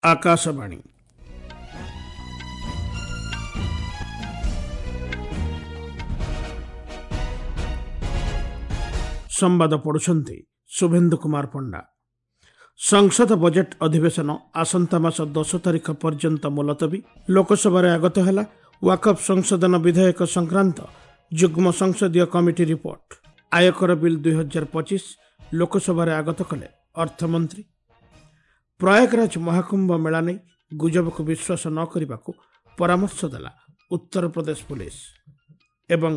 ଆକାଶବାଣୀ। ସମ୍ବାଦ ପଢୁଛନ୍ତି ଶୁଭେନ୍ଦୁ କୁମାର ପଣ୍ଡା। ସଂସଦ ବଜେଟ୍ ଅଧିବେଶନ ଆସନ୍ତା ମାସ 10 ତାରିଖ ପର୍ଯ୍ୟନ୍ତ ମୁଲତବୀ। ଲୋକସଭାରେ ଆଗତ ହେଲା ୱାକଫ୍ ସଂଶୋଧନ ବିଧେୟକ ସଂକ୍ରାନ୍ତ ଯୁଗ୍ମ ସଂସଦୀୟ କମିଟି ରିପୋର୍ଟ। ଆୟକର ବିଲ୍ 2025 ଲୋକସଭାରେ ଆଗତ କଲେ ଅର୍ଥମନ୍ତ୍ରୀ। ପ୍ରୟାଗରାଜ ମହାକୁମ୍ଭ ମେଳା ନେଇ ଗୁଜବକୁ ବିଶ୍ୱାସ ନ କରିବାକୁ ପରାମର୍ଶ ଦେଲା ଉତ୍ତରପ୍ରଦେଶ ପୁଲିସ। ଏବଂ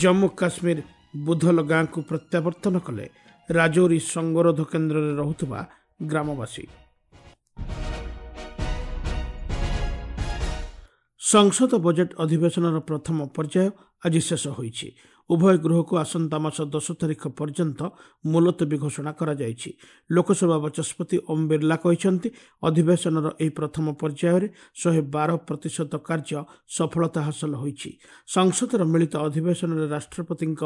ଜମ୍ମୁ କାଶ୍ମୀର ବୁଧଲ ଗାଁକୁ ପ୍ରତ୍ୟାବର୍ତ୍ତନ କଲେ ରାଜୌରୀ ସଙ୍ଗରୋଧ କେନ୍ଦ୍ରରେ ରହୁଥିବା ଗ୍ରାମବାସୀ। ସଂସଦ ବଜେଟ୍ ଅଧିବେଶନର ପ୍ରଥମ ପର୍ଯ୍ୟାୟ ଆଜି ଶେଷ ହୋଇଛି। ଉଭୟ ଗୃହକୁ ଆସନ୍ତା ମାସ 10 ତାରିଖ ପର୍ଯ୍ୟନ୍ତ ମୁଲତବୀ ଘୋଷଣା କରାଯାଇଛି। ଲୋକସଭା ବାଚସ୍ପତି ଓମ୍ ବିର୍ଲା କହିଛନ୍ତି, ଅଧିବେଶନର ଏହି ପ୍ରଥମ ପର୍ଯ୍ୟାୟରେ 112% କାର୍ଯ୍ୟ ସଫଳତା ହାସଲ ହୋଇଛି। ସଂସଦର ମିଳିତ ଅଧିବେଶନରେ ରାଷ୍ଟ୍ରପତିଙ୍କ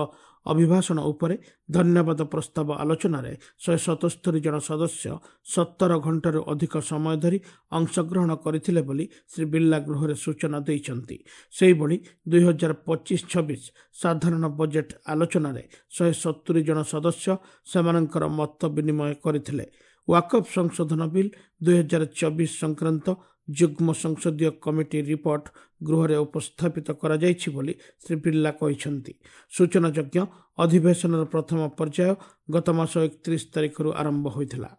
ଅଭିଭାଷଣ ଉପରେ ଧନ୍ୟବାଦ ପ୍ରସ୍ତାବ ଆଲୋଚନାରେ 177 ଜଣ ସଦସ୍ୟ 17 ଘଣ୍ଟାରୁ ଅଧିକ ସମୟ ଧରି ଅଂଶଗ୍ରହଣ କରିଥିଲେ ବୋଲି ଶ୍ରୀ ବିର୍ଲା ଗୃହରେ ସୂଚନା ଦେଇଛନ୍ତି। ସେହିଭଳି 2025-26 ସାଧାରଣ ବଜେଟ୍ ଆଲୋଚନାରେ 170 ଜଣ ସଦସ୍ୟ ସେମାନଙ୍କର ମତ ବିନିମୟ କରିଥିଲେ। ୱାକଫ୍ ସଂଶୋଧନ ବିଲ୍ 2024 ସଂକ୍ରାନ୍ତ ଯୁଗ୍ମ ସଂସଦୀୟ କମିଟି ରିପୋର୍ଟ ଗୃହରେ ଉପସ୍ଥାପିତ କରାଯାଇଛି ବୋଲି ଶ୍ରୀ ବିର୍ଲା କହିଛନ୍ତି। ସୂଚନାଯୋଗ୍ୟ, ଅଧିବେଶନର ପ୍ରଥମ ପର୍ଯ୍ୟାୟ ଗତ ମାସ 31 ତାରିଖରୁ ଆରମ୍ଭ ହୋଇଥିଲା।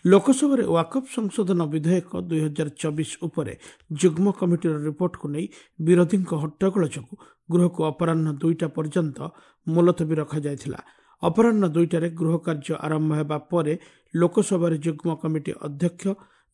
ଲୋକସଭାରେ ୱାକଫ୍ ସଂଶୋଧନ ବିଧେୟକ 2024 ଉପରେ ଯୁଗ୍ମ କମିଟିର ରିପୋର୍ଟକୁ ନେଇ ବିରୋଧୀଙ୍କ ହଟ୍ଟଗୋଳ ଯୋଗୁଁ ଗୃହକୁ ଅପରାହ୍ନ 2ଟା ପର୍ଯ୍ୟନ୍ତ ମୁଲତବୀ ରଖାଯାଇଥିଲା। ଅପରାହ୍ନ 2ଟାରେ ଗୃହ କାର୍ଯ୍ୟ ଆରମ୍ଭ ହେବା ପରେ ଲୋକସଭାରେ ଯୁଗ୍ମ କମିଟି ଅଧ୍ୟକ୍ଷ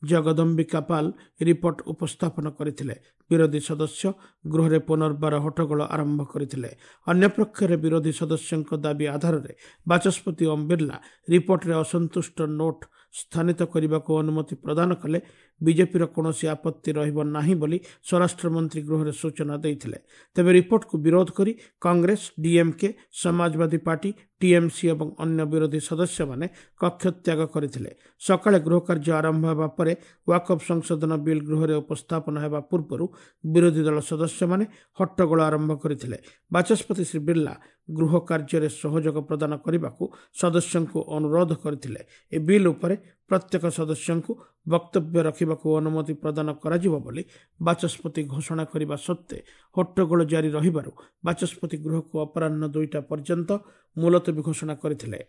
ଜଗଦମ୍ବିକା ପାଲ ରିପୋର୍ଟ ଉପସ୍ଥାପନ କରିଥିଲେ। ବିରୋଧୀ ସଦସ୍ୟ ଗୃହରେ ପୁନର୍ବାର ହଟ୍ଟଗୋଳ ଆରମ୍ଭ କରିଥିଲେ। ଅନ୍ୟପକ୍ଷରେ ବିରୋଧୀ ସଦସ୍ୟଙ୍କ ଦାବି ଆଧାରରେ ବାଚସ୍ପତି ଓମ୍ ବିର୍ଲା ରିପୋର୍ଟରେ ଅସନ୍ତୁଷ୍ଟ ନୋଟ୍ ସ୍ଥାନିତ କରିବାକୁ ଅନୁମତି ପ୍ରଦାନ କଲେ ବିଜେପିର କୌଣସି ଆପତ୍ତି ରହିବ ନାହିଁ ବୋଲି ସ୍ୱରାଷ୍ଟ୍ରମନ୍ତ୍ରୀ ଗୃହରେ ସୂଚନା ଦେଇଥିଲେ। ତେବେ ରିପୋର୍ଟକୁ ବିରୋଧ କରି କଂଗ୍ରେସ, ଡିଏମ୍କେ, ସମାଜବାଦୀ ପାର୍ଟି, ଟିଏମ୍ସି ଏବଂ ଅନ୍ୟ ବିରୋଧୀ ସଦସ୍ୟମାନେ କକ୍ଷତ୍ୟାଗ କରିଥିଲେ। ସକାଳେ ଗୃହ କାର୍ଯ୍ୟ ଆରମ୍ଭ ହେବା ପରେ ୱାକଫ୍ ସଂଶୋଧନ ବିଲ୍ ଗୃହରେ ଉପସ୍ଥାପନ ହେବା ପୂର୍ବରୁ ବିରୋଧୀ ଦଳ ସଦସ୍ୟମାନେ ହଟ୍ଟଗୋଳ ଆରମ୍ଭ କରିଥିଲେ। ବାଚସ୍ପତି ଶ୍ରୀ ବିର୍ଲା ଗୃହ କାର୍ଯ୍ୟରେ ସହଯୋଗ ପ୍ରଦାନ କରିବାକୁ ସଦସ୍ୟଙ୍କୁ ଅନୁରୋଧ କରିଥିଲେ। ଏ ବିଲ୍ ଉପରେ ପ୍ରତ୍ୟେକ ସଦସ୍ୟଙ୍କୁ ବକ୍ତବ୍ୟ ରଖିବାକୁ ଅନୁମତି ପ୍ରଦାନ କରାଯିବ ବୋଲି ବାଚସ୍ପତି ଘୋଷଣା କରିବା ସତ୍ତ୍ୱେ ହଟ୍ଟଗୋଳ ଜାରି ରହିବାରୁ ବାଚସ୍ପତି ଗୃହକୁ ଅପରାହ୍ନ 2ଟା ପର୍ଯ୍ୟନ୍ତ ମୁଲତବୀ ଘୋଷଣା କରିଥିଲେ।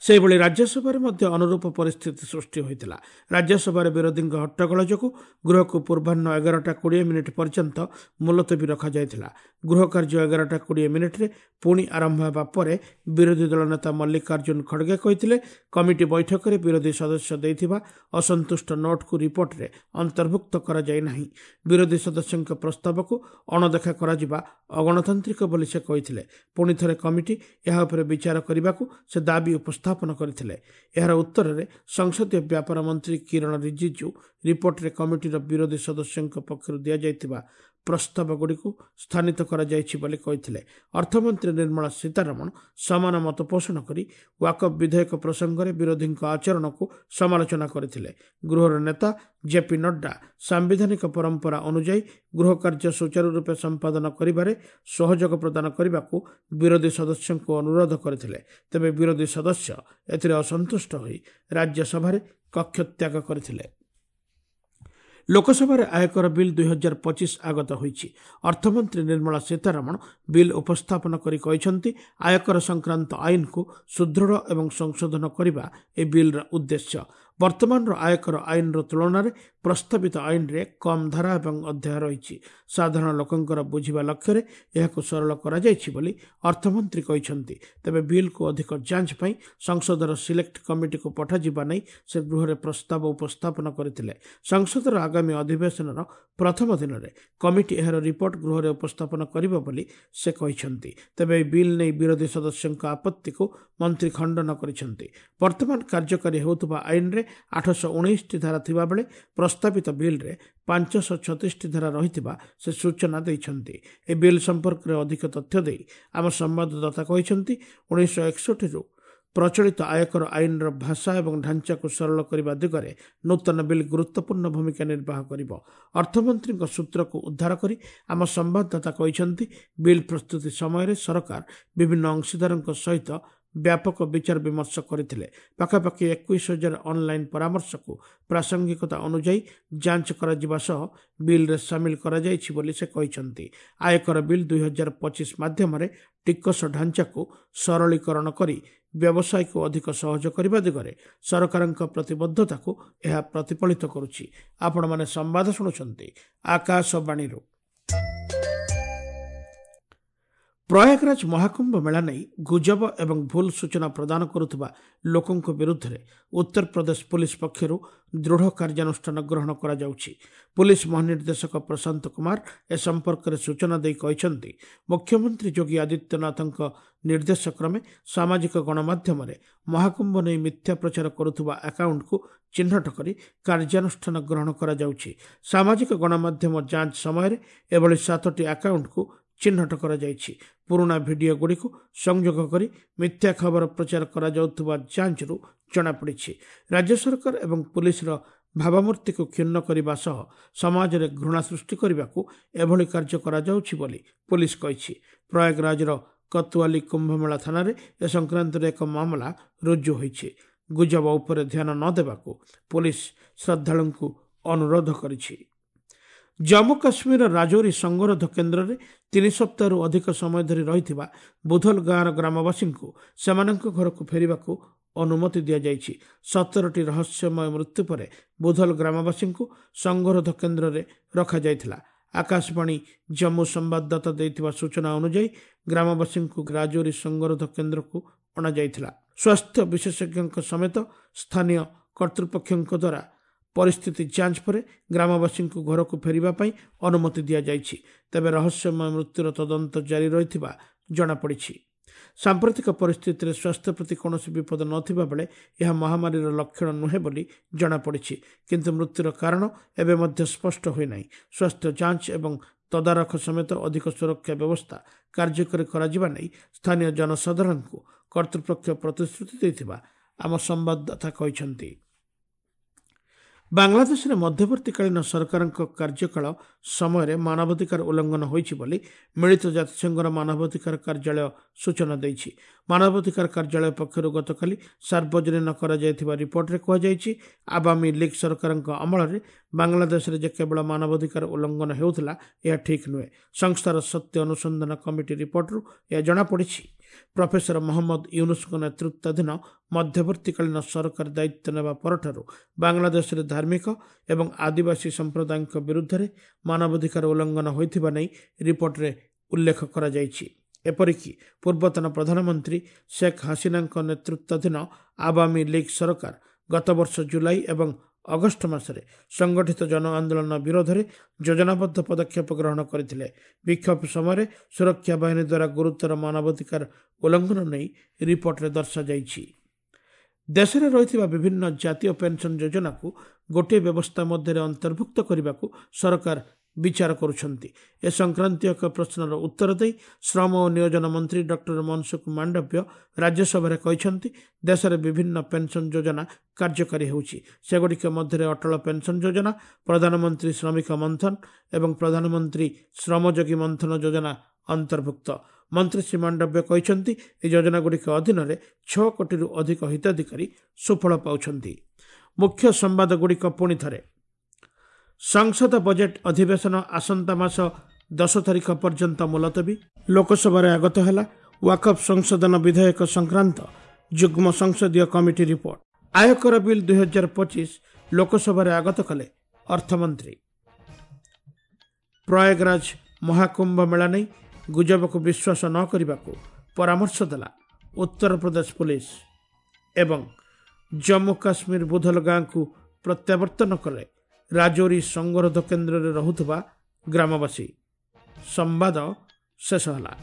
ସେହିଭଳି ରାଜ୍ୟସଭାରେ ମଧ୍ୟ ଅନୁରୂପ ପରିସ୍ଥିତି ସୃଷ୍ଟି ହୋଇଥିଲା। ରାଜ୍ୟସଭାରେ ବିରୋଧୀଙ୍କ ହଟ୍ଟଗୋଳ ଯୋଗୁଁ ଗୃହକୁ ପୂର୍ବାହ୍ନ 11ଟା 20 ମିନିଟ୍ ପର୍ଯ୍ୟନ୍ତ ମୁଲତବୀ ରଖାଯାଇଥିଲା। ଗୃହ କାର୍ଯ୍ୟ 11ଟା 20 ମିନିଟ୍ରେ ପୁଣି ଆରମ୍ଭ ହେବା ପରେ ବିରୋଧୀ ଦଳ ନେତା ମଲ୍ଲିକାର୍ଜୁନ ଖଡ଼ଗେ କହିଥିଲେ, କମିଟି ବୈଠକରେ ବିରୋଧୀ ସଦସ୍ୟ ଦେଇଥିବା ଅସନ୍ତୁଷ୍ଟ ନୋଟ୍କୁ ରିପୋର୍ଟରେ ଅନ୍ତର୍ଭୁକ୍ତ କରାଯାଇ ନାହିଁ। ବିରୋଧୀ ସଦସ୍ୟଙ୍କ ପ୍ରସ୍ତାବକୁ ଅଣଦେଖା କରାଯିବା ଅଗଣତାନ୍ତ୍ରିକ ବୋଲି ସେ କହିଥିଲେ। ପୁଣି ଥରେ କମିଟି ଏହା ଉପରେ ବିଚାର କରିବାକୁ ସେ ଦାବି ଉପସ୍ଥାପନ କରିଥିଲେ। ଏହାର ଉତ୍ତରରେ ସଂସଦୀୟ ବ୍ୟାପାର ମନ୍ତ୍ରୀ କିରଣ ରିଜିଜୁ ରିପୋର୍ଟରେ କମିଟିର ବିରୋଧୀ ସଦସ୍ୟଙ୍କ ପକ୍ଷରୁ ଦିଆଯାଇଥିବା ପ୍ରସ୍ତାବଗୁଡ଼ିକୁ ସ୍ଥାନିତ କରାଯାଇଛି ବୋଲି କହିଥିଲେ। ଅର୍ଥମନ୍ତ୍ରୀ ନିର୍ମଳା ସୀତାରମଣ ସମାନ ମତ ପୋଷଣ କରି ୱାକଫ୍ ବିଧେୟକ ପ୍ରସଙ୍ଗରେ ବିରୋଧୀଙ୍କ ଆଚରଣକୁ ସମାଲୋଚନା କରିଥିଲେ। ଗୃହର ନେତା ଜେପି ନଡ୍ଡା ସାମ୍ବିଧାନିକ ପରମ୍ପରା ଅନୁଯାୟୀ ଗୃହ କାର୍ଯ୍ୟ ସୁଚାରୁ ରୂପେ ସମ୍ପାଦନ କରିବାରେ ସହଯୋଗ ପ୍ରଦାନ କରିବାକୁ ବିରୋଧୀ ସଦସ୍ୟଙ୍କୁ ଅନୁରୋଧ କରିଥିଲେ। ତେବେ ବିରୋଧୀ ସଦସ୍ୟ ଏଥିରେ ଅସନ୍ତୁଷ୍ଟ ହୋଇ ରାଜ୍ୟସଭାରେ କକ୍ଷତ୍ୟାଗ କରିଥିଲେ। ଲୋକସଭାରେ ଆୟକର ବିଲ୍ 2025 ଆଗତ ହୋଇଛି। ଅର୍ଥମନ୍ତ୍ରୀ ନିର୍ମଳା ସୀତାରମଣ ବିଲ୍ ଉପସ୍ଥାପନ କରି କହିଛନ୍ତି, ଆୟକର ସଂକ୍ରାନ୍ତ ଆଇନକୁ ସୁଦୃଢ଼ ଏବଂ ସଂଶୋଧନ କରିବା ଏହି ବିଲ୍ର ଉଦ୍ଦେଶ୍ୟ। ବର୍ତ୍ତମାନର ଆୟକର ଆଇନର ତୁଳନାରେ ପ୍ରସ୍ତାବିତ ଆଇନରେ କମ୍ ଧାରା ଏବଂ ଅଧ୍ୟାୟ ରହିଛି। ସାଧାରଣ ଲୋକଙ୍କର ବୁଝିବା ଲକ୍ଷ୍ୟରେ ଏହାକୁ ସରଳ କରାଯାଇଛି ବୋଲି ଅର୍ଥମନ୍ତ୍ରୀ କହିଛନ୍ତି। ତେବେ ବିଲ୍କୁ ଅଧିକ ଯାଞ୍ଚ ପାଇଁ ସଂସଦର ସିଲେକ୍ଟ କମିଟିକୁ ପଠାଯିବା ନେଇ ସେ ଗୃହରେ ପ୍ରସ୍ତାବ ଉପସ୍ଥାପନ କରିଥିଲେ। ସଂସଦର ଆଗାମୀ ଅଧିବେଶନର ପ୍ରଥମ ଦିନରେ କମିଟି ଏହାର ରିପୋର୍ଟ ଗୃହରେ ଉପସ୍ଥାପନ କରିବ ବୋଲି ସେ କହିଛନ୍ତି। ତେବେ ଏହି ବିଲ୍ ନେଇ ବିରୋଧୀ ସଦସ୍ୟଙ୍କ ଆପତ୍ତିକୁ ମନ୍ତ୍ରୀ ଖଣ୍ଡନ କରିଛନ୍ତି। ବର୍ତ୍ତମାନ କାର୍ଯ୍ୟକାରୀ ହେଉଥିବା ଆଇନରେ 819ଟି ଧାରା ଥିବାବେଳେ ପ୍ରସ୍ତାବିତ ବିଲ୍ରେ 536ଟି ଧାରା ରହିଥିବା ସେ ସୂଚନା ଦେଇଛନ୍ତି। ଏହି ବିଲ୍ ସମ୍ପର୍କରେ ଅଧିକ ତଥ୍ୟ ଦେଇ ଆମ ସମ୍ବାଦଦାତା କହିଛନ୍ତି, 1961ରୁ ପ୍ରଚଳିତ ଆୟକର ଆଇନର ଭାଷା ଏବଂ ଢାଞ୍ଚାକୁ ସରଳ କରିବା ଦିଗରେ ନୂତନ ବିଲ୍ ଗୁରୁତ୍ୱପୂର୍ଣ୍ଣ ଭୂମିକା ନିର୍ବାହ କରିବ। ଅର୍ଥମନ୍ତ୍ରୀଙ୍କ ସୂତ୍ରକୁ ଉଦ୍ଧାର କରି ଆମ ସମ୍ବାଦଦାତା କହିଛନ୍ତି, ବିଲ୍ ପ୍ରସ୍ତୁତି ସମୟରେ ସରକାର ବିଭିନ୍ନ ଅଂଶୀଦାରଙ୍କ ସହିତ ବ୍ୟାପକ ବିଚାର ବିମର୍ଶ କରିଥିଲେ। ପାଖାପାଖି 21,000 ଅନ୍ଲାଇନ୍ ପରାମର୍ଶକୁ ପ୍ରାସଙ୍ଗିକତା ଅନୁଯାୟୀ ଯାଞ୍ଚ କରାଯିବା ସହ ବିଲ୍ରେ ସାମିଲ କରାଯାଇଛି ବୋଲି ସେ କହିଛନ୍ତି। ଆୟକର ବିଲ୍ 2025 ମାଧ୍ୟମରେ ଟିକସ ଢାଞ୍ଚାକୁ ସରଳୀକରଣ କରି ବ୍ୟବସାୟକୁ ଅଧିକ ସହଜ କରିବା ଦିଗରେ ସରକାରଙ୍କ ପ୍ରତିବଦ୍ଧତାକୁ ଏହା ପ୍ରତିଫଳିତ କରୁଛି। ଆପଣମାନେ ସମ୍ବାଦ ଶୁଣୁଛନ୍ତି ଆକାଶବାଣୀରୁ। ପ୍ରୟାଗରାଜ ମହାକୁମ୍ଭ ମେଳା ନେଇ ଗୁଜବ ଏବଂ ଭୁଲ ସୂଚନା ପ୍ରଦାନ କରୁଥିବା ଲୋକଙ୍କ ବିରୁଦ୍ଧରେ ଉତ୍ତରପ୍ରଦେଶ ପୁଲିସ ପକ୍ଷରୁ ଦୃଢ଼ କାର୍ଯ୍ୟାନୁଷ୍ଠାନ ଗ୍ରହଣ କରାଯାଉଛି। ପୁଲିସ ମହାନିର୍ଦ୍ଦେଶକ ପ୍ରଶାନ୍ତ କୁମାର ଏ ସମ୍ପର୍କରେ ସୂଚନା ଦେଇ କହିଛନ୍ତି, ମୁଖ୍ୟମନ୍ତ୍ରୀ ଯୋଗୀ ଆଦିତ୍ୟନାଥଙ୍କ ନିର୍ଦ୍ଦେଶ କ୍ରମେ ସାମାଜିକ ଗଣମାଧ୍ୟମରେ ମହାକୁମ୍ଭ ନେଇ ମିଥ୍ୟା ପ୍ରଚାର କରୁଥିବା ଆକାଉଣ୍ଟକୁ ଚିହ୍ନଟ କରି କାର୍ଯ୍ୟାନୁଷ୍ଠାନ ଗ୍ରହଣ କରାଯାଉଛି। ସାମାଜିକ ଗଣମାଧ୍ୟମ ଯାଞ୍ଚ ସମୟରେ ଏଭଳି 7ଟି ଆକାଉଣ୍ଟକୁ ଚିହ୍ନଟ କରାଯାଇଛି। ପୁରୁଣା ଭିଡିଓଗୁଡ଼ିକୁ ସଂଯୋଗ କରି ମିଥ୍ୟା ଖବର ପ୍ରଚାର କରାଯାଉଥିବା ଯାଞ୍ଚରୁ ଜଣାପଡ଼ିଛି। ରାଜ୍ୟ ସରକାର ଏବଂ ପୁଲିସର ଭାବମୂର୍ତ୍ତିକୁ କ୍ଷୁଣ୍ଣ କରିବା ସହ ସମାଜରେ ଘୃଣା ସୃଷ୍ଟି କରିବାକୁ ଏଭଳି କାର୍ଯ୍ୟ କରାଯାଉଛି ବୋଲି ପୁଲିସ କହିଛି। ପ୍ରୟାଗରାଜର କତୁଆଲି କୁମ୍ଭମେଳା ଥାନାରେ ଏ ସଂକ୍ରାନ୍ତରେ ଏକ ମାମଲା ରୁଜୁ ହୋଇଛି। ଗୁଜବ ଉପରେ ଧ୍ୟାନ ନ ଦେବାକୁ ପୁଲିସ ଶ୍ରଦ୍ଧାଳୁଙ୍କୁ ଅନୁରୋଧ କରିଛି। ଜମ୍ମୁ କାଶ୍ମୀରର ରାଜୌରୀ ସଙ୍ଗରୋଧ କେନ୍ଦ୍ରରେ 3 ସପ୍ତାହରୁ ଅଧିକ ସମୟ ଧରି ରହିଥିବା ବୁଧଲ ଗାଁର ଗ୍ରାମବାସୀଙ୍କୁ ସେମାନଙ୍କ ଘରକୁ ଫେରିବାକୁ ଅନୁମତି ଦିଆଯାଇଛି। 17ଟି ରହସ୍ୟମୟ ମୃତ୍ୟୁ ପରେ ବୁଧଲ ଗ୍ରାମବାସୀଙ୍କୁ ସଙ୍ଗରୋଧ କେନ୍ଦ୍ରରେ ରଖାଯାଇଥିଲା। ଆକାଶବାଣୀ ଜମ୍ମୁ ସମ୍ବାଦଦାତା ଦେଇଥିବା ସୂଚନା ଅନୁଯାୟୀ ଗ୍ରାମବାସୀଙ୍କୁ ରାଜୌରୀ ସଙ୍ଗରୋଧ କେନ୍ଦ୍ରକୁ ଅଣାଯାଇଥିଲା। ସ୍ୱାସ୍ଥ୍ୟ ବିଶେଷଜ୍ଞଙ୍କ ସମେତ ସ୍ଥାନୀୟ କର୍ତ୍ତୃପକ୍ଷଙ୍କ ଦ୍ୱାରା ପରିସ୍ଥିତି ଯାଞ୍ଚ ପରେ ଗ୍ରାମବାସୀଙ୍କୁ ଘରକୁ ଫେରିବା ପାଇଁ ଅନୁମତି ଦିଆଯାଇଛି। ତେବେ ରହସ୍ୟମୟ ମୃତ୍ୟୁର ତଦନ୍ତ ଜାରି ରହିଥିବା ଜଣାପଡ଼ିଛି। ସାମ୍ପ୍ରତିକ ପରିସ୍ଥିତିରେ ସ୍ୱାସ୍ଥ୍ୟ ପ୍ରତି କୌଣସି ବିପଦ ନଥିବା ବେଳେ ଏହା ମହାମାରୀର ଲକ୍ଷଣ ନୁହେଁ ବୋଲି ଜଣାପଡ଼ିଛି। କିନ୍ତୁ ମୃତ୍ୟୁର କାରଣ ଏବେ ମଧ୍ୟ ସ୍ପଷ୍ଟ ହୋଇନାହିଁ। ସ୍ୱାସ୍ଥ୍ୟ ଯାଞ୍ଚ ଏବଂ ତଦାରଖ ସମେତ ଅଧିକ ସୁରକ୍ଷା ବ୍ୟବସ୍ଥା କାର୍ଯ୍ୟକାରୀ କରାଯିବା ନେଇ ସ୍ଥାନୀୟ ଜନସାଧାରଣଙ୍କୁ କର୍ତ୍ତୃପକ୍ଷ ପ୍ରତିଶ୍ରୁତି ଦେଇଥିବା ଆମ ସମ୍ବାଦଦାତା କହିଛନ୍ତି। ବାଂଲାଦେଶରେ ମଧ୍ୟବର୍ତ୍ତୀକାଳୀନ ସରକାରଙ୍କ କାର୍ଯ୍ୟକାଳ ସମୟରେ ମାନବାଧିକାର ଉଲ୍ଲଂଘନ ହୋଇଛି ବୋଲି ମିଳିତ ଜାତିସଂଘର ମାନବାଧିକାର କାର୍ଯ୍ୟାଳୟ ସୂଚନା ଦେଇଛି। ମାନବାଧିକାର କାର୍ଯ୍ୟାଳୟ ପକ୍ଷରୁ ଗତକାଲି ସାର୍ବଜନୀନ କରାଯାଇଥିବା ରିପୋର୍ଟରେ କୁହାଯାଇଛି, ଆବାମୀ ଲିଗ୍ ସରକାରଙ୍କ ଅମଳରେ ବାଂଲାଦେଶରେ ଯେ କେବଳ ମାନବାଧିକାର ଉଲ୍ଲଂଘନ ହେଉଥିଲା ଏହା ଠିକ୍ ନୁହେଁ। ସଂସ୍ଥାର ସତ୍ୟ ଅନୁସନ୍ଧାନ କମିଟି ରିପୋର୍ଟରୁ ଏହା ଜଣାପଡ଼ିଛି। ପ୍ରଫେସର ମହମ୍ମଦ ୟୁନୁସଙ୍କ ନେତୃତ୍ୱାଧୀନ ମଧ୍ୟବର୍ତ୍ତୀକାଳୀନ ସରକାର ଦାୟିତ୍ୱ ନେବା ପରଠାରୁ ବାଂଲାଦେଶରେ ଧାର୍ମିକ ଏବଂ ଆଦିବାସୀ ସମ୍ପ୍ରଦାୟଙ୍କ ବିରୁଦ୍ଧରେ ମାନବାଧିକାର ଉଲ୍ଲଂଘନ ହୋଇଥିବା ନେଇ ରିପୋର୍ଟରେ ଉଲ୍ଲେଖ କରାଯାଇଛି। ଏପରିକି ପୂର୍ବତନ ପ୍ରଧାନମନ୍ତ୍ରୀ ଶେଖ୍ ହାସିନାଙ୍କ ନେତୃତ୍ୱାଧୀନ ଆବାମୀ ଲିଗ୍ ସରକାର ଗତବର୍ଷ ଜୁଲାଇ ଏବଂ ଅଗଷ୍ଟ ମାସରେ ସଂଗଠିତ ଜନ ଆନ୍ଦୋଳନ ବିରୋଧରେ ଯୋଜନାବଦ୍ଧ ପଦକ୍ଷେପ ଗ୍ରହଣ କରିଥିଲେ। ବିକ୍ଷୋଭ ସମୟରେ ସୁରକ୍ଷା ବାହିନୀ ଦ୍ୱାରା ଗୁରୁତର ମାନବାଧିକାର ଉଲ୍ଲଂଘନ ନେଇ ରିପୋର୍ଟରେ ଦର୍ଶାଯାଇଛି। ଦେଶରେ ରହିଥିବା ବିଭିନ୍ନ ଜାତୀୟ ପେନ୍ସନ୍ ଯୋଜନାକୁ ଗୋଟିଏ ବ୍ୟବସ୍ଥା ମଧ୍ୟରେ ଅନ୍ତର୍ଭୁକ୍ତ କରିବାକୁ ସରକାର ବିଚାର କରୁଛନ୍ତି। ଏ ସଂକ୍ରାନ୍ତୀୟ ଏକ ପ୍ରଶ୍ନର ଉତ୍ତର ଦେଇ ଶ୍ରମ ଓ ନିୟୋଜନ ମନ୍ତ୍ରୀ ଡକ୍ଟର ମନସୁଖ ମାଣ୍ଡବ୍ୟ ରାଜ୍ୟସଭାରେ କହିଛନ୍ତି, ଦେଶରେ ବିଭିନ୍ନ ପେନ୍ସନ୍ ଯୋଜନା କାର୍ଯ୍ୟକାରୀ ହେଉଛି। ସେଗୁଡ଼ିକ ମଧ୍ୟରେ ଅଟଳ ପେନ୍ସନ୍ ଯୋଜନା, ପ୍ରଧାନମନ୍ତ୍ରୀ ଶ୍ରମିକ ମନ୍ଥନ ଏବଂ ପ୍ରଧାନମନ୍ତ୍ରୀ ଶ୍ରମଯୋଗୀ ମନ୍ଥନ ଯୋଜନା ଅନ୍ତର୍ଭୁକ୍ତ। ମନ୍ତ୍ରୀ ଶ୍ରୀ ମାଣ୍ଡବ୍ୟ କହିଛନ୍ତି, ଏହି ଯୋଜନାଗୁଡ଼ିକ ଅଧୀନରେ 6 କୋଟିରୁ ଅଧିକ ହିତାଧିକାରୀ ସୁଫଳ ପାଉଛନ୍ତି। ମୁଖ୍ୟ ସମ୍ବାଦଗୁଡ଼ିକ ପୁଣି ଥରେ। ସଂସଦ ବଜେଟ୍ ଅଧିବେଶନ ଆସନ୍ତା ମାସ 10 ତାରିଖ ପର୍ଯ୍ୟନ୍ତ ମୁଲତବୀ। ଲୋକସଭାରେ ଆଗତ ହେଲା ୱାକଫ୍ ସଂଶୋଧନ ବିଧେୟକ ସଂକ୍ରାନ୍ତ ଯୁଗ୍ମ ସଂସଦୀୟ କମିଟି ରିପୋର୍ଟ। ଆୟକର ବିଲ୍ 2025 ଲୋକସଭାରେ ଆଗତ କଲେ ଅର୍ଥମନ୍ତ୍ରୀ। ପ୍ରୟାଗରାଜ ମହାକୁମ୍ଭ ମେଳା ନେଇ ଗୁଜବକୁ ବିଶ୍ୱାସ ନ କରିବାକୁ ପରାମର୍ଶ ଦେଲା ଉତ୍ତରପ୍ରଦେଶ ପୁଲିସ। ଏବଂ ଜମ୍ମୁ କାଶ୍ମୀର ବୁଧଲ ଗାଁକୁ ପ୍ରତ୍ୟାବର୍ତ୍ତନ କଲେ ରାଜୌରୀ ସଙ୍ଗରୋଧ କେନ୍ଦ୍ରରେ ରହୁଥିବା ଗ୍ରାମବାସୀ। ସମ୍ବାଦ ଶେଷ ହେଲା।